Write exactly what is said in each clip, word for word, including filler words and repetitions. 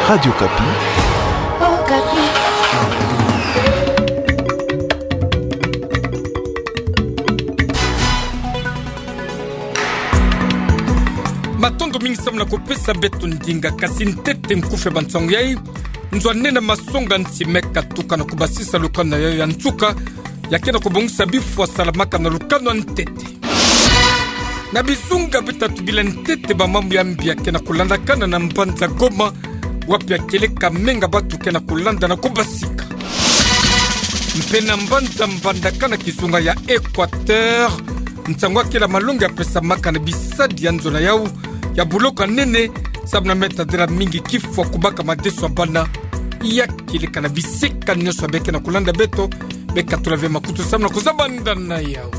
Radio Okapi. Matondo mingi samu na kupesa beto ndinga. Kasi ntete nkufi ya bansangu yai. Nzo a nne na masonga nsi me katuka na kubasisa lukanu na yau ya nsuka, ya ke na kubongisa bifwa salamaka na lukanu ya ntete. Na bizunga bitatu bila ntete, bamambu ya mbi ya ke na kulandakana na mbanza Goma, wapi ya kieleka menga batu ke na kulanda na kubasika. Mpe na mbanza Mbandaka na kizunga ya Equateur, nsangu ya kele malongi ya pesamaka na bisadi ya nzo na yau ya buloko ya nene, samu na me tadila mingi kifwa kubaka madeso ya bana. Ya kieleka na bisika nyonso ya beke na kulanda beto, beka tula ve makutu samu na kuzabanda na yau.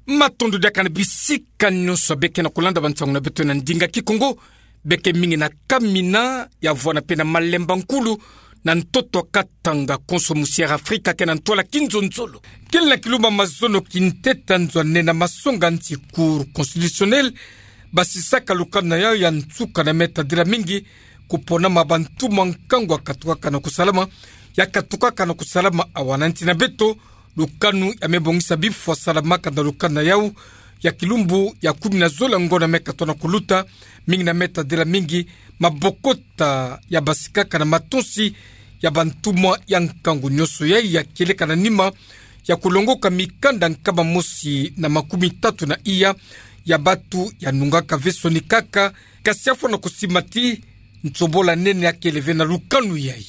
Matondo diaka na bisika nyonso beke na kulanda bansangu na beto na ndinga Kikongo. Beke mingi na Kamina, ya vwanda mpe na Malemba Nkulu, na ntoto Katanga, konso musi Air Africa ke na ntwala kinzonzolo. Kele na kilumbu ya mazono kintete, nzo a nne na masonga nsi, Cour constitutionnelle, basisaka lukanu na yau ya nsuka na me tadila mingi kuponama bantumwa nkangu ya katukaka na kusalama, ya katukaka na kusalama awa na nsi na beto. Lukanu ya me bongisa bifwa salamaka na lukanu na yau ya kilumbu ya kumi na zole ya ngonda me katoa na kuluta, mingi na me tadila mingi mabokota ya basikaka na matonsi ya bantumwa ya nkangu nyonso yai, ya kieleka na nima ya kulongoka mikanda nkama mosi na makumi tatu na iya ya batu ya nungaka ve sonikaka, kasi ya fwa na kusimba ti nsobola nene ya kele ve na lukanu yai.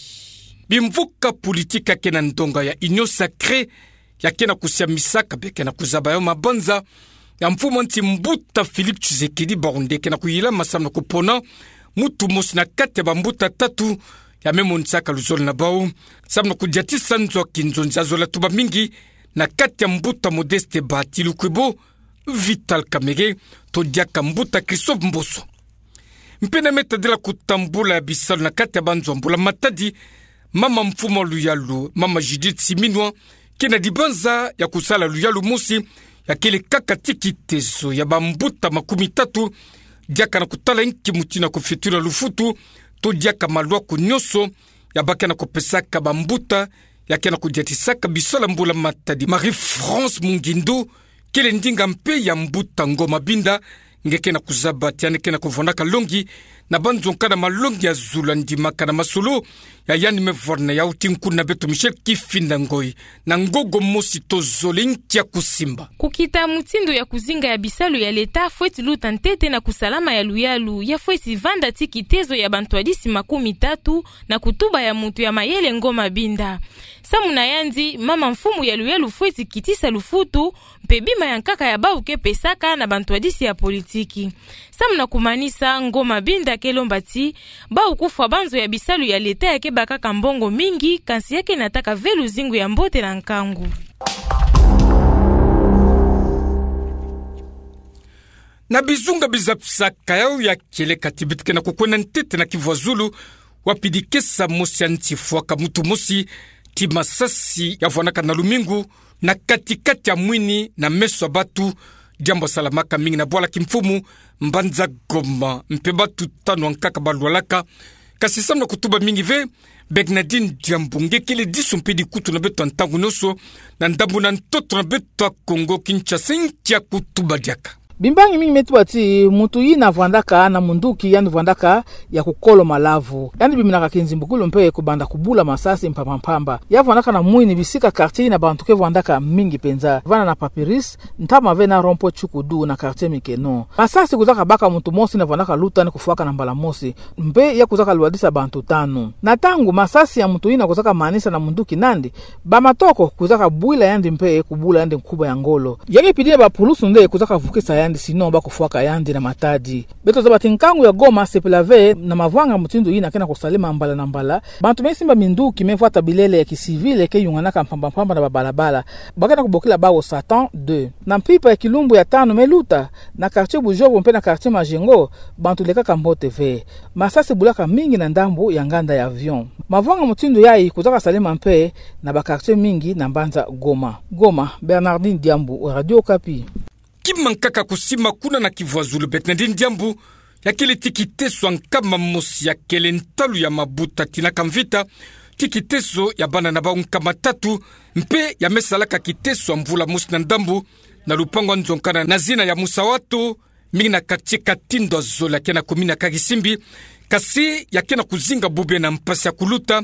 Bimvuka politiki ya ke na ndonga ya Union Sacrée ya ke na kusiamisaka, beke na kuzaba yau mabanza ya mfumu nsi mbuta Félix Tshisekedi, bau nde ke na kuyilama samu na kupona muntu mosi na kati ya bambuta tatu ya me monisaka luzolo na bau samu na kudiatisa nzo ya kinzonzi ya zola tuba mingi na kati ya mbuta Modeste Bahati Lukwebo, Vital Kamerhe, to diaka mbuta Christophe Mboso. Mpe na me tadila kutambula ya bisalu na kati ya banzo ya mbula matadi, mama mfumu ya luyalu, mama Judith Suminwa, ke na dibanza ya kusala luyalu mosi ya kele kaka ti kitezo ya bambuta makumi tatu, diaka na kutala inki mutindu ya kufitula lufutu, to diaka malwaku nyonso ya ba ke na kupesaka bambuta ya ke na kudiatisaka bisalu ya mbula matadi. Marie-France Mungindu, kele ndinga mpe ya mbuta Ngoma Binda, nge ke na kuzaba ti yandi ke na kuvwandaka longi na banzo nka na malongi ya zulu ya ndimaka na masolo ya yandi me vwanda na yau ti nkuna beto Michel Kifinda Ngoyi. Na ngogo mosi tozole nki ya kusimba. Kukita mutindu ya kuzinga ya bisalu ya leta fweti luta ntete na kusalama ya luyalu, ya fweti vanda ti kitezo ya bantwadisi makumi tatu na kutuba ya muntu ya mayele Ngoma Binda. Samu na yandi, mama mfumu ya luyalu fweti kitisa lufutu mpe bima ya nkaka ya bau ke pesaka na bantwadisi ya politiki. Samu na kumanisa, Ngoma Binda ke lomba ti bau kufwa banzo ya bisalu ya leta ya ke bakaka mbongo mingi, kansi ya ke nataka ve luzingu ya mbote na nkangu. Na bizunga bizapisaka yau ya kieleka ti beto ke na kukwenda ntete na Kivu ya Zulu, wapi dikesa mosi ya nsi fwaka muntu mosi ti masasi ya vwandaka na lumingu na kati-kati ya mwini na meso ya batu, diambu ya salamaka mingi na bwala kimfumu mbanza Goma, mpe batu tanu ya nkaka balwalaka. Kasi samu na kutuba mingi ve, Bernardine Diambu, nge kele disu mpe dikutu na beto ya ntangu nyonso na ndambu na ntoto na beto ya Kongo Kinshasa, nki ya kutuba diaka. Bimbangi mingi me tuba ti muntu yina vwandaka na munduki, yandi vwandaka ya kukolo malavu. Yandi biminaka kinzimbukulu mpe kubanda kubula masasi mpamba-mpamba. Ya vwandaka na mwini bisika, quartier yina bantu ke vwandaka mingi penza. Vanda na Papyrus, ntama ve na rond-point Tshukudu na quartier Mikeno. Masasi kuzaka baka muntu mosi na vwandaka luta ni kufwaka na mbala mosi. Mpe ya kuzaka lwadisa bantu tanu. Na ntangu masasi ya muntu yina kuzaka manisa na munduki nandi, bamatoko kuzaka bwila yandi mpe kubula yandi nkuba ya ngolo. Ya ke pidi na bapulusu nde kuzaka vukisa yandi, sinon ba kufwaka yandi na matadi. Beto zaba ti nkangu ya Goma sepela ve na mavanga mutindu yina ke na kusalema mbala na mbala. Bantu me simba minduki, me vwata bilele ya kisivile ke yunganaka mpamba-mpamba na babalabala. Ba ke na kubokila bau Satan deux. Na mpimpa ya kilumbu ya tanu me luta, na quartier Bujovu mpe na quartier Majengo, bantu lekaka mbote ve. Masasi bulaka mingi na ndambu ya nganda ya avion. Mavanga mutindu yai kuzaka salema mpe na ba quartier mingi na mbanza Goma. Goma, Bernardine Diambu, Radio Okapi. kima nkaka kusima kuna na kivwazulu Bernardine Diambu, ya kele ti kiteso ya nkama mosi ya kele ntalu ya mabuta Tinaka Mvita, ti kiteso ya bana na bau nkama tatu, mpe ya me salaka kiteso ya mvula mosi na ndambu, na lupangu ya nzo nkana na zina ya Musawato, mingi na quartier Katindo Zola ke na commune ya Karisimbi, kasi ya ke na kuzinga bubu na mpasi ya kuluta,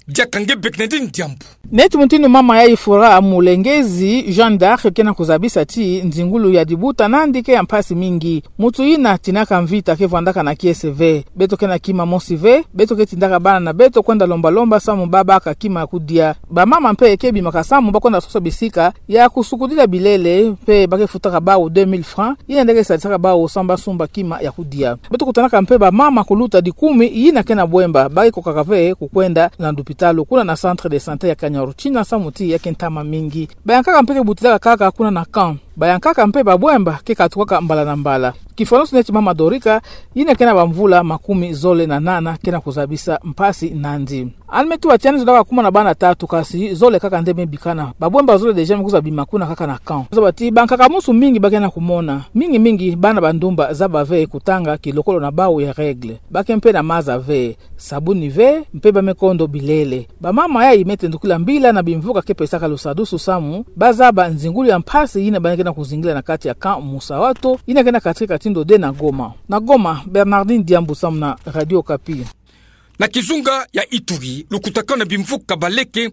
diaka nge Bernardine Diambu. Neti mutindu mama yayi Fora Mulengezi, Jeanne d'Arc, ke na kuzabisa ti nzingulu ya dibuta nandi ke ya mpasi mingi. Mutu yina Tinaka Mvita ke vwandaka na kiese ve. Beto ke na kima mosi ve, beto ke tindaka bana na beto kwenda lomba-lomba samu ba baka kima ya kudia. Bamama mpe ke bimaka samu ba kwenda sosa bisika ya kusukudila bilele, mpe ba ke futaka bau deux mille francs, yina nde ke salisaka bau samu ba sumba kima ya kudia. Beto kutanaka mpe bamama kuluta dikumi yina ke na bwemba, ba ke kokaka ve kukwenda na lupitalu kuna na centre de santé ya Kanyaruchinya samu ti ya ke ntama mingi. Bayankaka mpe ke butilaka kaka kuna na camp. Bayankaka mpe babwemba ke katukaka mbala na mbala. Kifwaniso neti mama Dorika, yina ke na bamvula makumi zole na nana, ke na kuzabisa mpasi nandi. Ani me tuba ti ani zolaka kuma na bana tatu, kasi zole kaka nde me bikana. Babwemba zole déjà me kwiza bima kuna kaka na camp. Zaba ti bankaka musu mingi ba ke na kumona. Mingi-mingi bana ba ndumba zaba ve kutanga kilokolo na bau ya règle. Ba ke mpe na maza ve, sabuni ve, mpe ba me kondo bilele. Bamama yayi me tendukila mbila na bimvuka ke pesaka lusadusu samu ba zaba nzingulu ya mpasi yina ba ke na kuzingila na kati ya camp Musawato, yina ke na quartier Katindo deux na Goma. Na Goma, Bernardine Diambu samu na Radio Okapi. Na kizunga ya Ituri, lukutakanu na bimvuka baleke,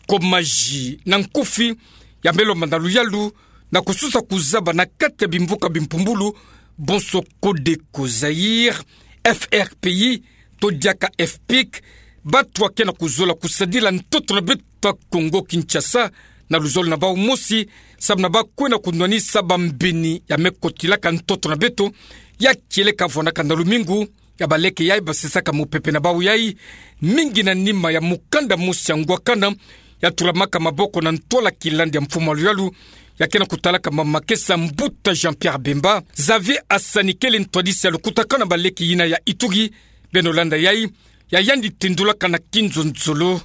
Komaji na Nkufi, ya me lomba na luyalu na kususa kuzaba na kati ya bimvuka bimpumbulu, bonso Codeco Zaïre, F R P I, to diaka F pic, batu ke na kuzola kusadila ntoto na beto ya Congo Kinshasa, na luzolo na bau mosi, samu na ba kwenda kunwanisa bambini ya me kotilaka ntoto na beto, ya kieleka vwandaka na lumingu, ya baleke yayi basisaka mupepe na bau yayi, mingi na nima ya mukanda mosi ya ngwakana, ya tulamaka maboko na ntwala kilandi ya mfumu ya luyalu, ya ke na kutalaka mamakesa mbuta Jean-Pierre Bemba. Xavier Asani kele ntwadisi ya lukutakanu na baleke yina ya Ituri, beno landa yayi, ya yandi tendulaka na kinzonzolo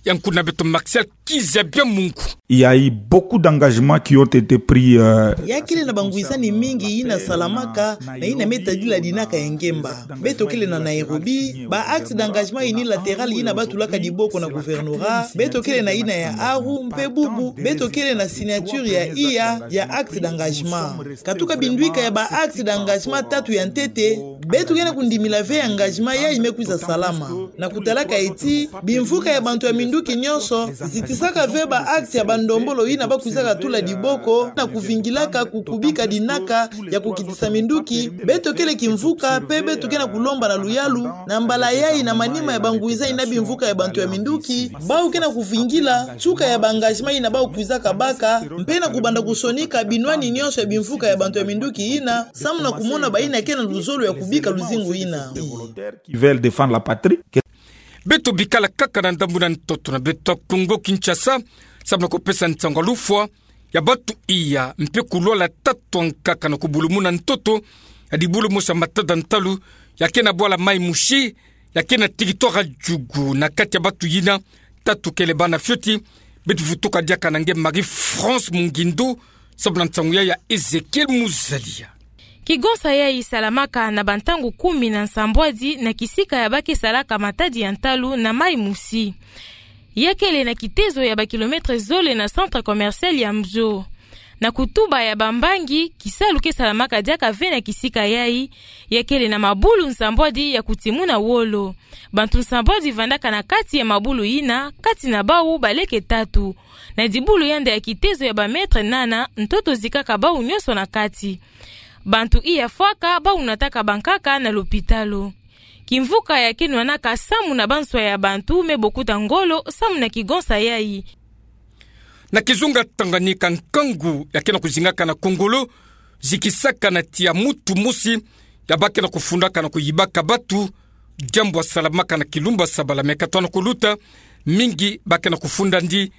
ya nkuna beto Martial Kizabia Mungu. Il y a eu beaucoup d'engagements qui ont été pris, euh, Ya kele na bangwisani mingi yina salamaka, na yina me tadila dinaka ya ngemba. Beto kele na Nairobi, ba acte d'engagement unilatéral yina ba tulaka diboko na gouvernorat, beto kele na yina ya Aru, mpe bubu beto kele na signature ya iya ya acte d'engagement. Katuka bindwika ya ba acte d'engagement tatu ya ntete, beto ke na kundimila ve engagement yayi me kwiza salama. Na kutalaka ti bimvuka ya bantu ya minduki nyonso zitisaka ve ba acte ya bandombolo yina ba kwizaka tula diboko na kuvingilaka kukubika dinaka ya kukitisa minduki, beto kele kimvuka mpe beto ke na kulomba na luyalu, na mbala yayi na manima ya bangwisani na bimvuka ya bantu ya minduki, bau ke na kuvingila nsuka ya ba engagement yina bau kwizaka baka, mpe na kubanda kusonika binwani nyonso ya bimvuka ya bantu ya minduki yina, samu na kumona bayina ke na luzolo ya kubika luzingu yina. Qui veulent défendre la patrie. Beto bikala kaka na ndambu na ntoto na beto ya Congo Kinshasa, samu na kupesa nsangu ya lufwa ya batu iya, mpe kulwala tatu ya nkaka na kubulumuna ntoto ya dibulu mosi ya matada ntalu, ya ke na bwala Mai Mushi, ya ke na territoire ya Djugu, na kati ya batu yina tatu kele bana fioti. Beto vutuka diaka na nge Marie-France Mungindu, samu na nsangu yayi ya Ezekiel Muzalia. Kigonsa yayi salamaka na bantangu kumi na nsambwadi na kisika ya ba ke salaka matadi ya ntalu na Mai Mushi. Ya kele na kitezo ya ba kilomètre zole na centre commercial ya Mzo. Na kutuba ya bambangi, kisalu ke salamaka diaka ve na kisika yayi, ya kele na mabulu nsambwadi ya kutimuna wolo. Bantu nsambwadi vandaka na kati ya mabulu yina, kati na bau baleke tatu. Na dibulu yandi ya kitezo ya ba mètre nana, ntoto zikaka bau nyonso na kati. Bantu iya fwaka, bau nataka bankaka na lopitalo. Kimvuka ya ke nwanaka samu na banswa ya bantu me bokuta ngolo samu na kigonsa yayi. Na kizunga Tanganyika, nkangu ya ke na kuzingaka na Kongolo zikisaka na tiya mutu mosi ya ba ke na kufundaka na kuyibaka batu, diambu ya salamaka na Kilumba Sabala me katwa na kuluta, mingi ba ke na kufunda ndi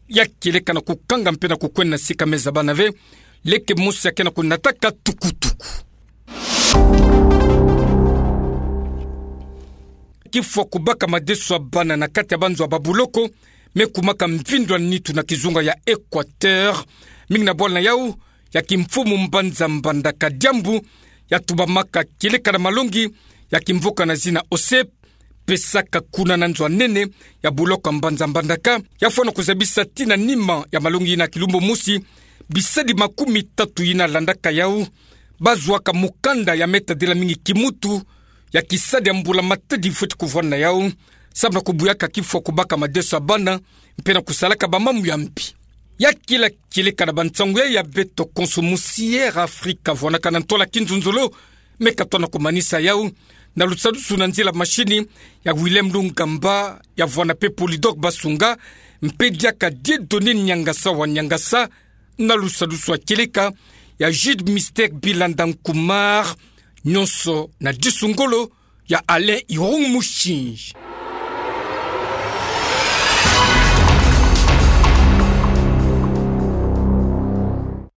ya kieleka na kukanga mpe na kukwenda na sika me zabana ve, leke mosi ya ke na kunataka tukutuku. Kifwa kubaka madeso ya bana na kati ya banzo ya babuloko me kumaka mvindu ya nitu na kizunga ya Equateur. Mingi na bwala na yau, ya kimfumu mbanza Mbandaka Diambu, ya tubamaka kieleka na malongi ya kimvuka na zina OSEP, pesaka kuna na nzo a nene ya buloko a mbanza Mbandaka, ya fwana kuzabisa tii na nima ya malongi yina ya kilumbu mosi, bisadi makumi tatu yina landaka yau, bazwaka mukanda ya metadila mingi kimutu, ya kisadi ya mbula matadi fweti kuvwani na yau, samu na kubuyaka kifwa, kubaka madeso ya bana, mpe na kusalaka bamamu ya mbi. Ya kila kieleka na bansangu ya beto konso mosi Air Africa vwanaka na ntwala kinzonzolo, me katona kumanisa yau na lusadusu na nzila mashini ya Willem Lungamba, ya vwana mpe Polydor Basunga, mpe diaka Dieudonné Niangasa wa Niangasa, na lusadusu ya kieleka ya Jude Mister Bilanda Nkumar, nyonso na disu ngolo ya Alain Irung Mushinji.